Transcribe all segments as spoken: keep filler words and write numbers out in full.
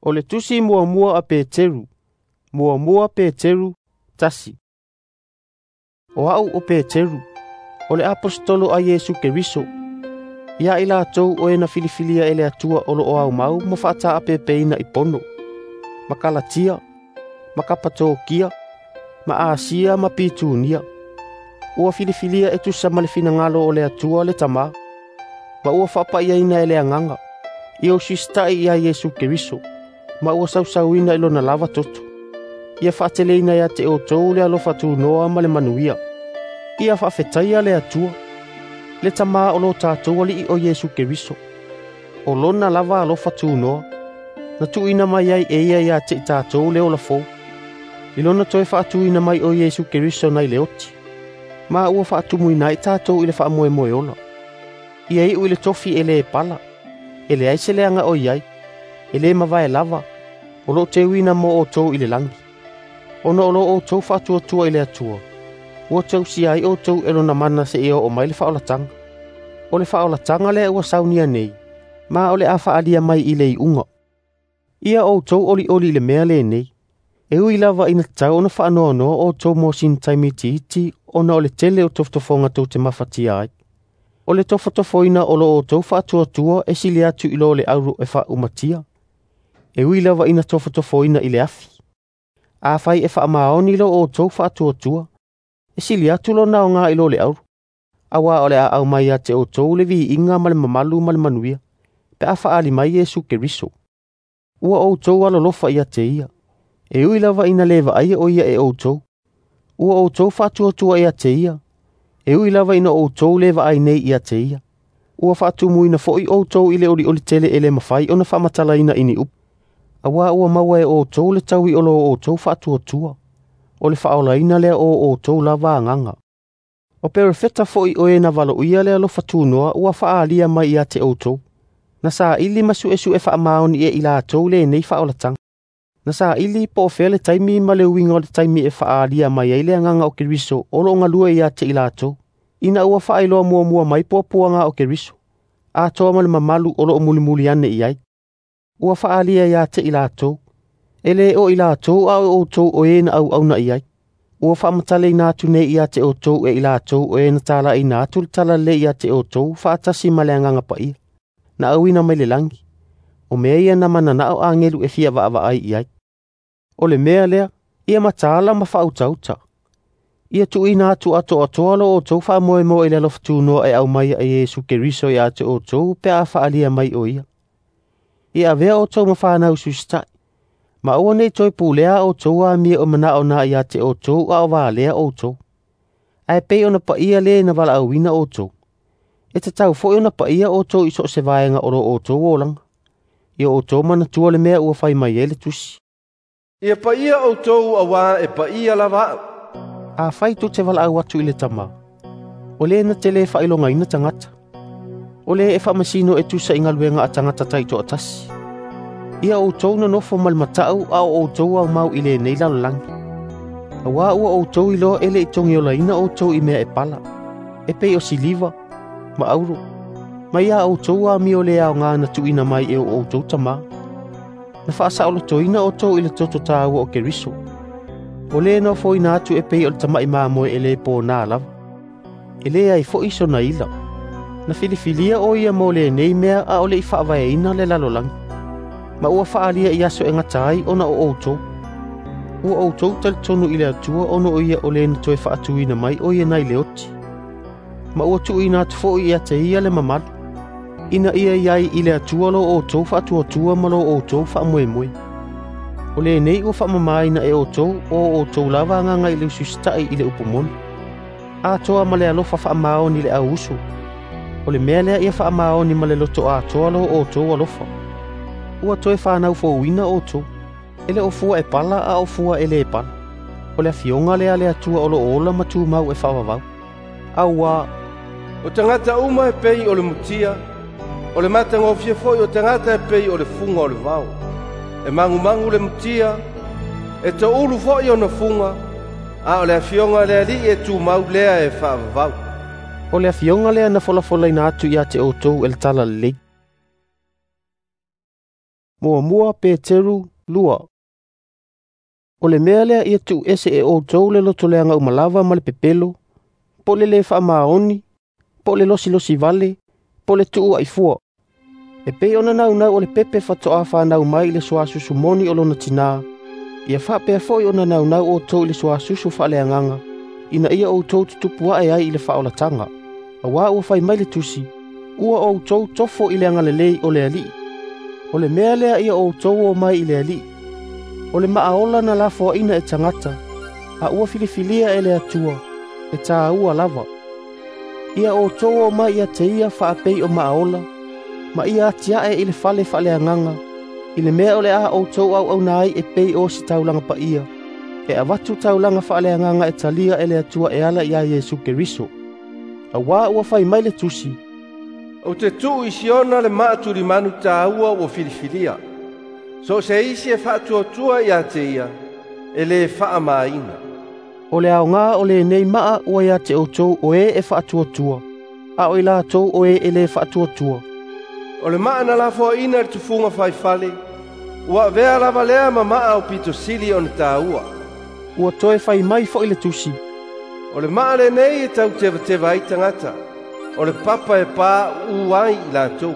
O le Tusi muamua a Peteru, muamua Peteru, tasi. O a'u o Peteru, o le aposetolo a Iesu Keriso, ia i latou o e na filifilia e le Atua o lo'o aumau ma fa'ata'apepeina i Pono, ma Kalatia, ma Kapatokia, ma Asia ma Pitunia. Ua filifilia e tusa ma le finagalo o le Atua le Tamā, ma ua fa'apa'iaina e le Agaga, ia usiusita'i ia Iesu Keriso, ma ua sausauina i lona lava toto. Ia fa'ateleina ia te outou le alofa tunoa ma le manuia. Ia fa'afetaia le Atua, le Tamā o lo tatou Ali'i o Iesu Keriso. O lona lava alofa tunoa, na tu'uina mai ai e ia ia te i tatou le ola fou, i lona toe fa'atuina mai o Iesu Keriso nai le oti, ma ua fa'atumuina ai tatou i le fa'amoemoe ola. Ia i'u i le tofi e lē pala, e leai se leaga o i ai, e lē mavae lava, o lo'o teuina mo outou i le lagi. Ona o lo outou fa'atuatua i le Atua, ua tausia ai outou e lona mana se'ia o'o mai le fa'aolataga. O le fa'aolataga lea ua saunia nei, ma o le a fa'alia mai i le i'uga. Ia outou oli'oli i le mea lenei, e ui lava ina tatau ona fa'anoanoa outou mo sina taimi itiiti ona o le tele o tofotofoga tou te mafatia ai. O le tofotofoina o lo outou fa'atuatua e sili atu i lo le auro e fa'aumatia, e ui lava ina tofotofoina i le afi. Afai e fa'amaoni lo outou fa'atuatua, e sili atu lona aogā i lo le auro, auā o le a aumai ia te outou le viiga ma le mamalu ma le manuia, pe a fa'aali mai Iesu Keriso. Ua outou alolofa ia te ia, e ui lava ina lē va'aia o ia e outou. Ua outou fa'atuatua ia te ia, e ui lava ina outou lē va'ai nei ia te ia. Ua fa'atumuina fo'i outou i le oli'oli tele e lē mafai ona fa'amatalaina i ni upu, auā ua maua e outou le taui o lo outou fa'atuatua, o le fa'aolaina lea o outou lava agaga. O perofeta fo'i o e na valo'uia le alofa tunoa ua fa'aalia mai ia te outou, na sa'ili ma su'esu'e fa'amaoni e i latou lenei fa'aolataga. Na sa'ili po o fea le taimi ma le uiga o le taimi e fa'aalia mai ai le Agaga o Keriso o lo'o galue ia te i latou, ina ua fa'ailoa muamua mai puapuaga o Keriso, atoa ma le mamalu o lo'o mulimuli ane i ai. Ua fa'aalia ia te i latou, e lē o i latou a o outou o e na au'auna i ai. Ua fa'amatalaina atu nei ia te outou e i latou o e na tala'ina atu le talalelei ia te outou fa'atasi ma le Agaga Paia, na auina mai le lagi, o mea ia na manana'o agelu e fia va'ava'ai i ai. O le mea lea, ia mataala ma fa'autauta. Ia tu'uina atu ato'atoa lo outou fa'amoemoe i le alofa tunoa e aumaia e Iesu Keriso ia te outou pe a fa'alia mai o ia. Ia avea outou ma fanau usiusita'i, ma aua nei toe pulea outou amio o mana'o na ia te outou a o valea outou. Ae pei ona pa'ia lē na vala'auina outou. E tatau fo'i ona pa'ia outou i so o se vaega o lo outou olaga. Ia outou manatua le mea ua fai mai ai le Tusi. Ia pa'ia outou auā e pa'ia lava a'u. Afai tou te vala'au atu i le Tamā, o lē na te lē fa'ailogaina tagata, o lē e fa'amasino e tusa i galuega a tagata ta'ito'atasi. Ia outou nonofo ma le mata'u a o outou aumau i lenei lalolagi. Auā ua outou iloa e le'i togiolaina outou i mea e pala, e pei o siliva, ma auro, ma ia outou amio lē aogā na tu'uina mai e o outou tamā. Na fa'asa'olotoina outou i le toto tāua o Keriso, o lē na ofoina atu e pei o le tama'i mamoe e lē pōnā lava, e leai fo'i sona ila. Na filifilia o ia mo lenei mea a o le'i fa'avaeina le lalolagi, ma ua fa'alia i aso e gata ai ona o outou. Ua outou talitonu i le Atua ona o ia o lē na toe fa'atuina mai o ia nai le oti, ma ua tu'uina atu fo'i ia te ia le mamalu, ina ia i ai i le Atua lo outou fa'atuatua ma lo outou fa'amoemoe. O lenei ua fa'amamāina e outou o outou lava agaga i le usiusita'i i le upu moni, atoa ma le alofa fa'amaoni le au uso. O le mea lea ia fa'amaoni ma le loto atoa lo outou alofa. Ua toe fanau fouina outou, e le o fua e pala a o fua e lē pala. O le afioga lea a le Atua o lo'o ola ma tumau e fa'avavau. Auā, O tagata uma e pei o le mutia, o le matagofie fo'i o tagata e pei o le fuga o le vao. E magumagu le mutia, e to'ulu fo'i ona fuga, a o le afioga a le Ali'i e tumau lea e fa'avavau. O le afioga lea na folafolaina atu ia te outou e le Talalelei. Muamua Peteru lua. O le mea lea ia tuuese e outou le lotoleaga uma lava ma le pepelo, po o le lē faamaoni, po o le losilosi vale, po o le tuuaifua. E pei ona naunau o le pepe faatoa fanau mai i le suasusu moni o lona tinā, ia faapea foi ona naunau outou i le suasusu faaleagaga, ina ia outou tutupu ae ai i le faaolataga. Auā ua fai mai le Tusi, ua outou tofo i le agalelei o le Alii. O le mea lea ia outou o mai i le Alii. O le maaola na lafoaina e tagata, a ua filifilia e le Atua, e tāua lava. Ia outou o mai ia te ia faapei o maaola, ma ia atiae i le fale faaleagaga, i le mea o le a outou auauna ai e pei o se taulaga paia, e avatu taulaga faaleagaga e talia e le Atua e ala iā Iesu Keriso. Auā ua fai mai le Tusi, Ou te tuu i Siona le maatulimanu tāua ua filifilia. So o se isi e faatuatua ia te ia, e lē faamāina. O le aogā o lenei maa ua ia te outou o e e faatuatua, a o i latou o e e lē faatuatua. O le maa na lafoaina i le tufuga faifale, ua avea lava lea ma maa aupito sili ona tāua. Ua toe fai mai foi le Tusi, O le maa lenei e tautevateva ai tagata, o le papa e pauu ai i latou.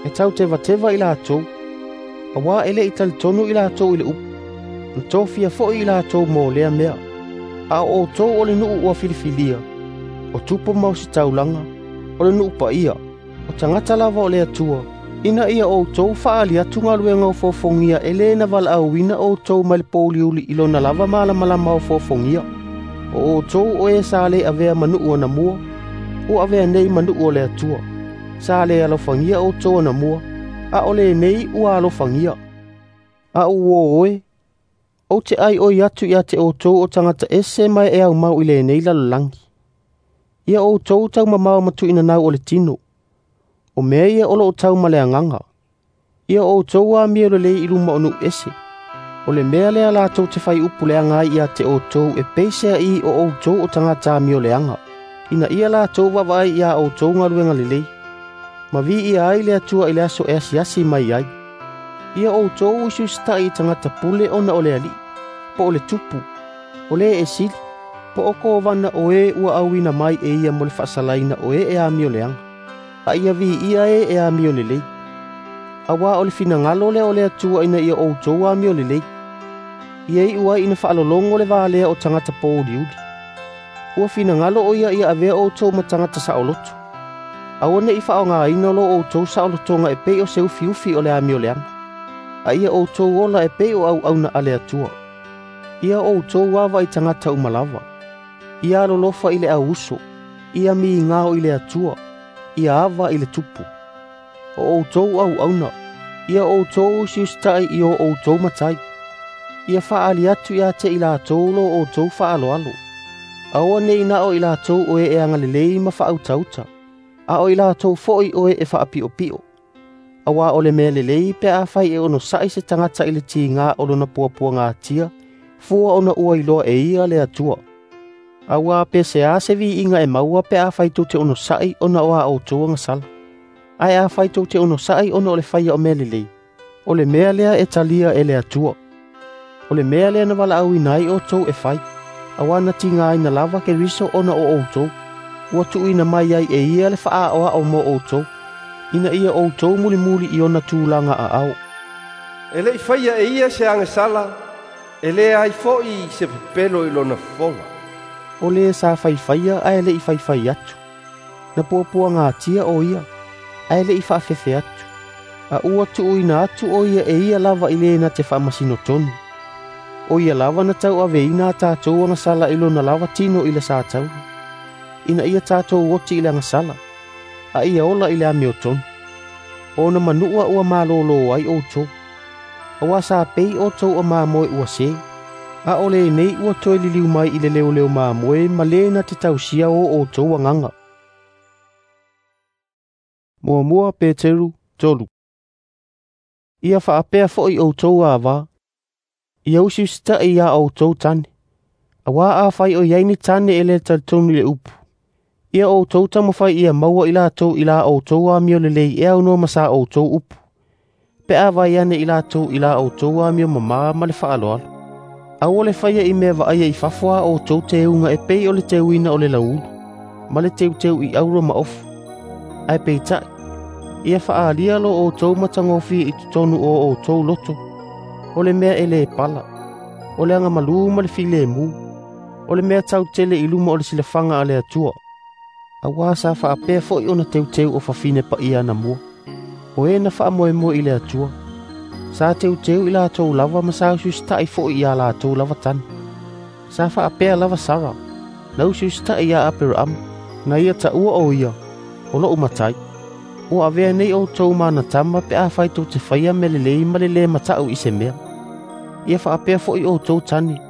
E tautevateva i latou, auā e lē i talitonu i latou i le upu, na tofia foi i latou mo lea mea. A o outou o le nuu ua filifilia, o tupu ma ositaulaga, o le nuu paia, o tagata lava o le Atua, ina ia outou faaali atu galuega ofoofogia e lē na valaauina outou mai le pouliuli i lona lava malamalama ofoofogia. O outou o e sa lē avea ma nuu anamua, ua avea nei ma nuu o le Atua. Sa lē alofagia outou anamua, a o lenei ua alofagia. A uō oe, ou te aioi atu ia te outou o tagata ese ma e aumau i lenei lalolagi. Ia outou taumamao ma tuuinanau o le tino, o mea ia o loo tau ma le agaga. Ia outou amio lelei i luma o nuu ese. O le mea lea latou te faiupu leaga ai ia te outou e peiseai o outou o tagata amioleaga, ina ia latou vaavaai iā outou galuega lelei, ma viia ai le Atua i le aso e asiasi mai ai. Ia outou usiusitaʻi i tagata pule ona o le Alii, po o le tupu, o lē e sili, po o kovana o e ua auina mai e ia mo le faasalaina o e e amioleaga, a ia viia e e amio lelei. Auā o le finagalo lea o le Atua ina ia outou amio lelei, ia iu ai ina faalologo le valea o tagata pouliuli. Ua finagalo o ia ia avea outou ma tagata saoloto. Aua neʻi faaaogāina lo outou saolotoga e pei o se ufiufi o le amioleaga, a ia outou ola e pei o auauna a le Atua. Ia outou ava i tagata uma lava. Ia alolofa i le auuso, ia migao i le Atua, ia ava i le tupu. O outou auauna, ia outou usiusitaʻi i o outou matai. Ia faaali atu ia te i latou lo outou faaloalo. Aua nei na o i latou o e e agalelei ma faautauta, a o i latou foi o e e faapiopio. Auā o le mea lelei pe afai e onosaʻi se tagata i le tigā o lona puapuagatia, fua ona ua iloa e ia le Atua. Auā pe se a se viiga e maua pe afai tou te onosaʻi ona o a outou agasala. Ae afai tou te onosaʻi ona o le faia o mea lelei, o le mea lea e talia e le Atua. O le mea lea na valaauina ai outou e fai, auā na tigāina lava Keriso ona o outou, ua tuuina mai ai e ia le faaaoao mo outou, ina ia outou mulimuli i ona tulaga aao. E lē i faia e ia se agasala, e leai foi se pepelo i lona fofoga. O lē sa faifaia ae lē i faifai atu, na puapuagatia o ia, ae lē i faafefe atu, a ua tuuina atu o ia e ia lava i lē na te faamasino tonu. O ia lava na tauaveina a tatou agasala i lona lava tino i le sataua, ina ia tatou oti i le agasala, a ia ola i le amiotonu. Ona manua ua malōlō ai outou, auā sa pei outou o mamoe ua sē, a o lenei ua toe liliu mai i le leoleo mamoe ma lē na te tausia o outou agaga. Muamua Peteru tolu. Ia faapea foi outou avā, ia usiusitaʻi iā outou tane, auā afai o iai ni tane e lē talitonu i le upu. Ia outou taumafai ia maua i latou i la outou amio lelei e aunoa ma sa outou upu, Pe a vaai ane i latou i la outou amio mamā ma le faaaloalo. Aua le faia i mea vaaia i fafo a outou teuga e pei o le teuina o le lauulu, ma le teuteu i auro ma ofu. Ae peitai, ia faaalia lo outou matagofie i totonu o outou loto, o le mea e lē pala, o le agamalū ma le filemu, o le mea tautele i luma o le silafaga a le Atua. Auā sa faapea fo'i ona teuteu o fafine paia anamua, o e na faamoemoe i le Atua. Sa teuteu i latou lava ma sa usiusita'i fo'i iā latou lava tane. Sa faapea lava Sara, na usiusita'i iā Aperaama, na ia taua o ia, o lo'u matai. Ua avea nei outou ma ana tama pe afai tou te faia mea lelei ma le lē mata'u i se mea. Ia faapea fo'i outou tane,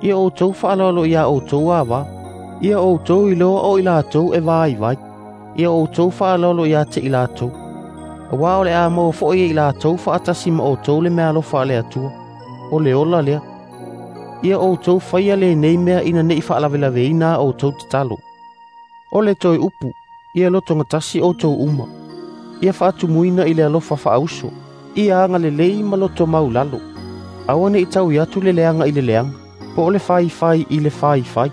ia outou faaaloalo iā outou avā, ia outou iloa o i latou e vaivai, ia outou faaaloalo iā te i latou. Auā o le a maua fo'i e i latou faatasi ma outou le meaalofa a le Atua, o le ola lea. Ia outou faia lenei mea ina ne'i faalavelaveina a outou tatalo. O le toe upu, ia lotogatasi outou uma. Ia faatumuina i le alofa faauso, ia agalelei ma loto maulalo. Aua ne'i taui atu le leaga i le leaga, po o le faifai i le faifai.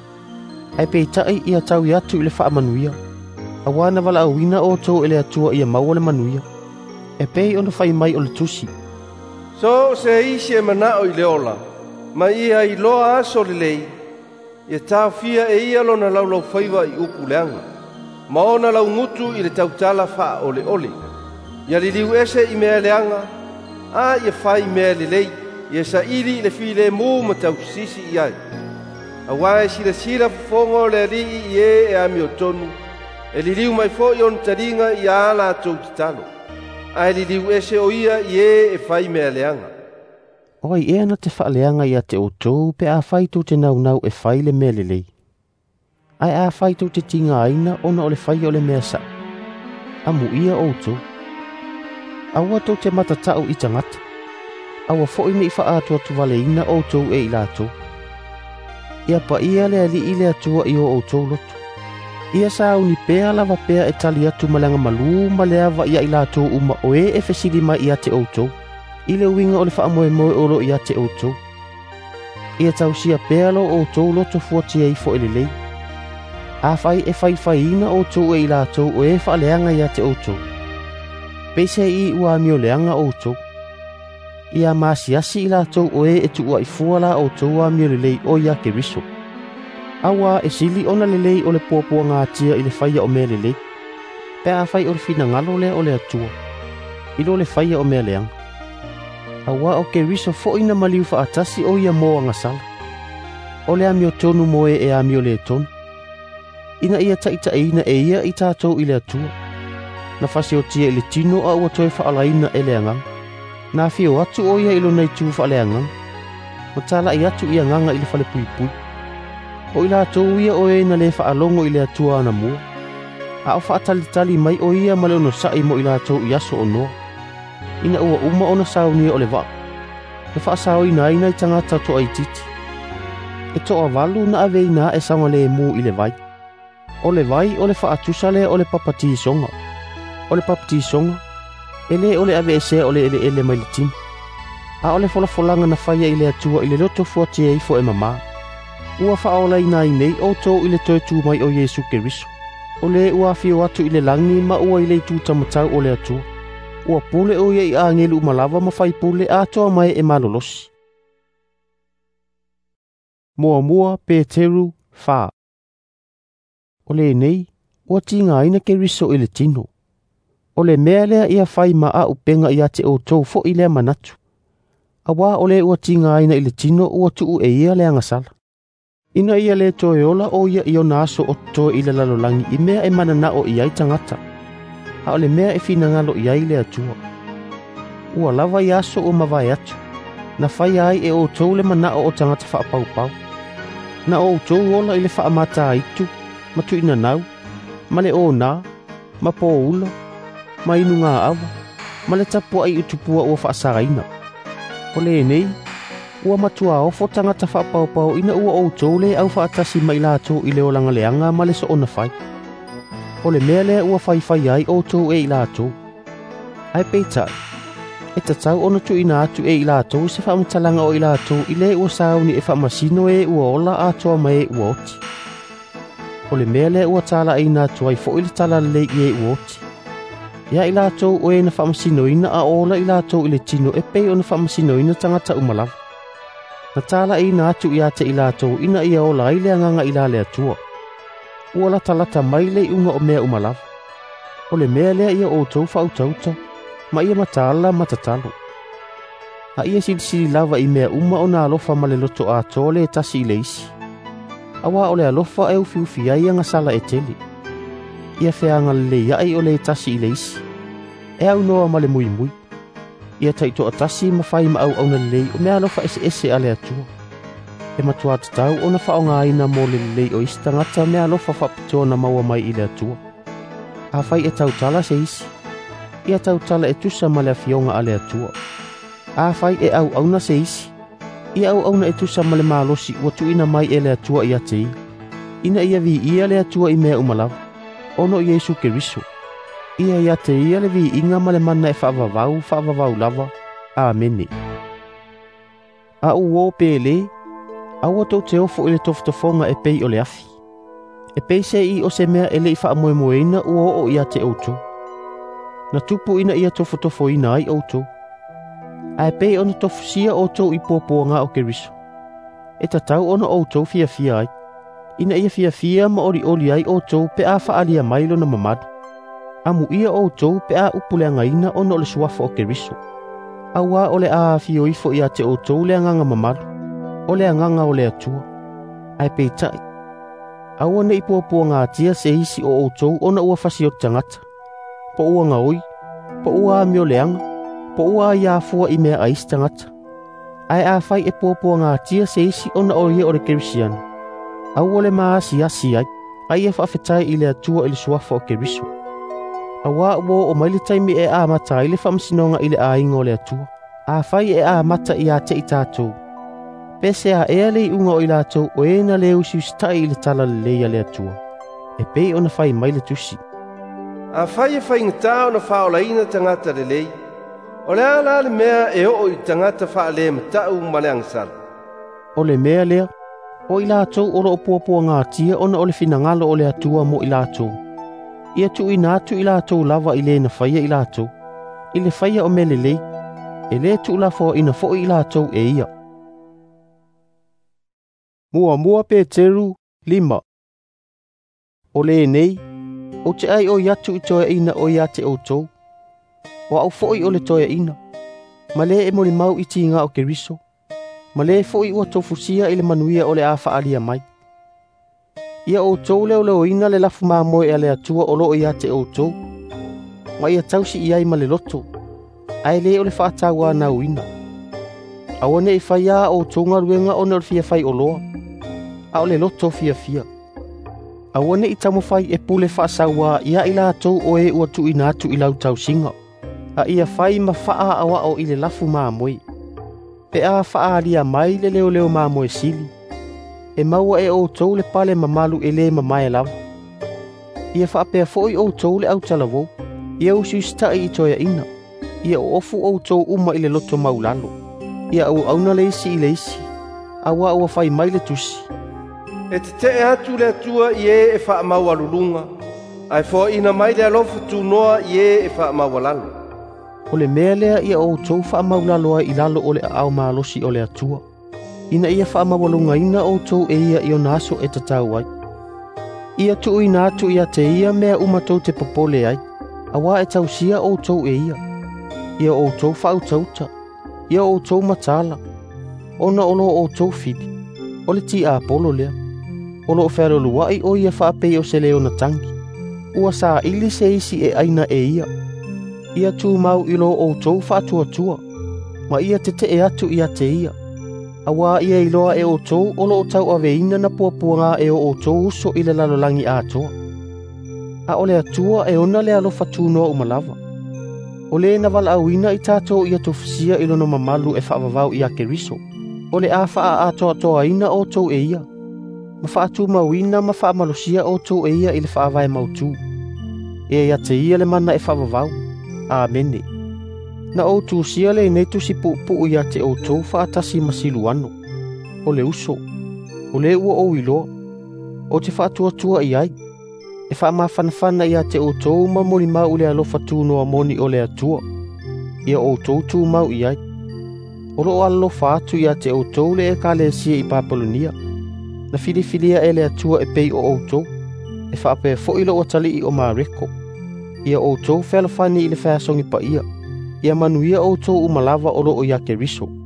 Ae peitai ia taui atu i le faamanuia. Auā na valaauina outou e le Atua ia maua le manuia. E pei ona fai mai o le tusi. So o se isi e mana'o i le ola, ma ia iloa aso lelei, ia taofia e ia lona laulaufaiva i upu leaga, ma ona laugutu i le tautala faaoleole. Ia liliu ese i mea leaga, a ia fai mea lelei, ia saili i le filemu ma tausisi i ai. Auā e silasila fofoga o le Alii i e e amiotonu, e liliu mai fo'i ona taliga iā latou tatalo, ae liliu ese o ia i e e fai mea leaga. O ai ea na te faaleaga ia te outou pe afai tou te naunau e fai le mea lelei. Ae afai tou te tigaina ona o le faia o le mea sa'o, amuia outou. Aua tou te matata'u i tagata, aua fo'i ne'i faaatuatuvaleina outou e i latou. Ia paia le Alii le Atua i o outou loto. Ia sauni pea lava pea e tali atu ma le agamalū ma le ava ia i latou uma o e e fesili mai ia te outou, i le uiga o le faamoemoe o loo ia te outou. Ia tausia pea lo outou loto fuatia ifo e lelei. Afai e faifaiina outou e i latou o e faaleaga ia te outou, peiseai ua amioleaga outou. Ia masiasi i latou o e e tuuaifua la outou amiolelei o ia Keriso. Auā e sili ona lelei o le puapuagatia i le faia o mea lelei, pe afai o le finagalo lea o le Atua, i lo le faia o mea leaga. Auā o Keriso fo'i na maliu faatasi o ia mo agasala. O le amiotonu mo e e amioletonu, ina ia taʻitaʻiina e ia i tatou i le Atua. Na fasiotia i le tino a ua toe faalaina e le agaga. Na afio atu o ia i lona itu faaleagaga, ma tala'i atu i agaga i le falepuipui. O i latou ia o e na lē faalogo i le Atua anamua, a o faatalitali mai o ia ma le onosa'i mo i latou i aso o Noa, ina ua uma ona saunia o le vaa, na faasaoina ai nai tagata toaitiiti. E toavalu na aveina aʻe saogalēmū i le vai. O le vai o le faatusa lea o le papatisoga. O le papatisoga, e lē o le aveesea o le eleele mai le tino, a o le folafolaga na faia i le Atua i le loto fuatia ifo e mamā. Ua faaolaina ai nei outou i le toe tu mai o Iesu Keriso, o lē ua afio atu i le lagi ma ua i le itu tamatau o le Atua. Ua pule o ia i agelu uma lava ma faipule atoa mai e malolosi. Muamua Peteru fa. O lenei, ua tigaina Keriso i le tino. O le mea lea ia fai ma auupega ia te outou fo'i lea manatu. Auā o le ua tigaina i le tino ua tuu e ia le agasala. Ina ia le toe ola o ia i ona aso o totoe i le lalolagi i mea e mananao i ai tagata, a o le mea e finagalo i ai le Atua. Ua lava i aso ua mavae atu, na faia ai e outou le manao o tagata faapaupau. Na outou ola i le faamataitu, ma tuuinanau, ma le onā, ma poula, ma inugaava, ma le tapua'i i tupua ua faasagaina. O lenei, ua matua ofo tagata faapaupau ina ua outou lē aufaatasi ma i latou i le olaga leaga ma le soona fai. O le mea lea ua faifai ai outou e i latou. Ae peitai, E tatau ona tuuina atu e i latou se faamatalaga o i latou i le ua sauni e faamasino e ua ola atoa ma e ua oti. O le mea lea ua talaiina atu ai foi le talalelei i e ua oti. Ia i latou o e na faamasinoina a ola i latou i le tino e pei ona faamasinoina tagata uma lava. Na talaiina atu ia te i latou ina ia ola ai le agaga i la le Atua. Ua latalata mai le iuga o mea uma lava. O le mea lea ia outou faautauta, ma ia mataala ma tatalo. A ia silisili lava i mea uma ona alofa ma le loto atoa le tasi i le isi. Auā o le alofa e ufiufi ai agasala e tele. Ia feagalelei ai o le tasi i le isi. E aunoa ma le muimui. Ia taitoatasi ma fai ma auauna lelei o mea alofa eseese a le Atua. E matua tatau ona faaaogaina mo le lelei o isi tagata mea alofa faapitoa na maua mai i le Atua. Afai e tautala se isi, ia tautala e tusa ma le afioga a le Atua. Afai e auauna se isi, ia auauna e tusa ma le malosi ua tuuina mai e le Atua ia te ia. Ina ia viia le Atua i mea uma lava, ona o Iesu Keriso. Ia ia te ia le viiga ma le mana e faavavau faavavau lava. Amene. A uo pele, aua tou te ofo i le tofotofoga e pei o le afi. E pei se i o se mea e le i faamoemoeina ua oo ia te outou. Na tupu ina ia tofotofoina ai outou. Ae pei ona tofusia outou i puapuaga o Keriso. E tatau ona outou fiafia ai. Ina ia fiafia ma olioli ai outou pe a faalia mai lona mamalu. Amuia outou pe a upuleagaina ona o le suafa o Keriso. Auā o le a afio ifo ia te outou le agaga mamalu, o le agaga o le Atua. Ae peitai, aua ne i puapuagatia se isi o outou ona ua fasioti tagata, po ua gaoi, po ua amioleaga, po ua aiafua i mea a isi tagata. Ae afai e puapuagatia se isi ona o ia o le Kerisiano, aua le maasiasi ai, a ia faafetai i le Atua i le suafa o Keriso. Auā ua oo mai le taimi e amata ai le faamasinoga i le aiga o le Atua. Afai e amata ia te i tatou, pe se a ea le iuga o i latou o e na le usiusitai i le talalelei a le Atua, e pei ona fai mai le tusi. Afai e faigata ona faaolaina tagata lelei, o le a la le mea e oo i tagata faalematau ma le agasala. O le mea lea, o i latou o loo puapuagatia ona o le finagalo o le Atua mo i latou. Ia tuuina atu i latou lava i le na faia i latou. I le faia o mea lelei, e le tuulafoaina foi i latou e ia. Muamua Peteru lima. O lenei, ou te ai o atu i toeaina o ia te outou. O au foi o le toeaina, ma le e molimau i tiga o Keriso, ma le foi ua tofusia i le manuia o le a faalia mai. Ia outou leoleoina le lafu mamoe a le Atua o loo ia te outou, ma ia tausi i ai ma le loto, ae le o le faatauanauina. Aua ne i faia a outou galuega ona o le fia fai oloa, a o le loto fiafia. Aua ne i taumafai e pule faasauā ia i latou o e ua tuuina atu i lau tausiga, a ia fai ma faaaoao i le lafu mamoe. Pe a faaalia mai le leoleo mamoe sili, e maua e outou le pale mamalu e le mamae lava. Ia faapea foi outou le autalavou, ia usiusitai i toeaina, ia oofu outou uma i le loto maulalo, ia auauna le isi i le isi, auā ua fai mai le tusi. E tetee atu le Atua i e e faamaualuluga, ae foaina mai le alofa tunoa i e e faamaualalo. O le mea lea ia outou faamaulalo ai i lalo o le aao malosi o le Atua, ina ia faamaualugaina outou e ia i ona aso e tatau ai. Ia tuuina atu ia te ia mea uma tou te popole ai, auā e tausia outou e ia. Ia outou faautauta, ia outou mataala, ona o loo outou fili, o le tiapolo lea. O loo fealoluai o ia faapei o se leona tagi. Ua saili se isi e aina e ia. Ia tumau i lo outou faatuatua, ma ia tetee atu ia te ia. Auā ia iloa e outou o loo tauaveina na puapuaga e o outou uso i le lalolagi atoa. A o le Atua e ona le alofa tunoa uma lava. O le na valaauina i tatou ia tofusia i lona mamalu e faavavau ia Keriso. O le a faaatoatoaina outou e ia, ma faatumauina ma faamalosia outou e ia i le faavae mautu. E ia te ia le mana e faavavau. Amene. Na ou tusia lenei tusi puupuu ia te outou faatasi ma Siluano, o le uso, o le ua ou iloa, ou te faatuatua i ai, e faamafanafana ia te outou ma molimau i le alofa tunoa moni o le Atua, ia outou tumau i ai. O loo alolofa atu ia te outou le ekalesia i Papelonia, na filifilia e le Atua e pei o outou, e faapea foi lou atalii o Mareko. Ia outou fealofani i le feasogi paia, ia manuia outou uma lava o loo ia Keriso.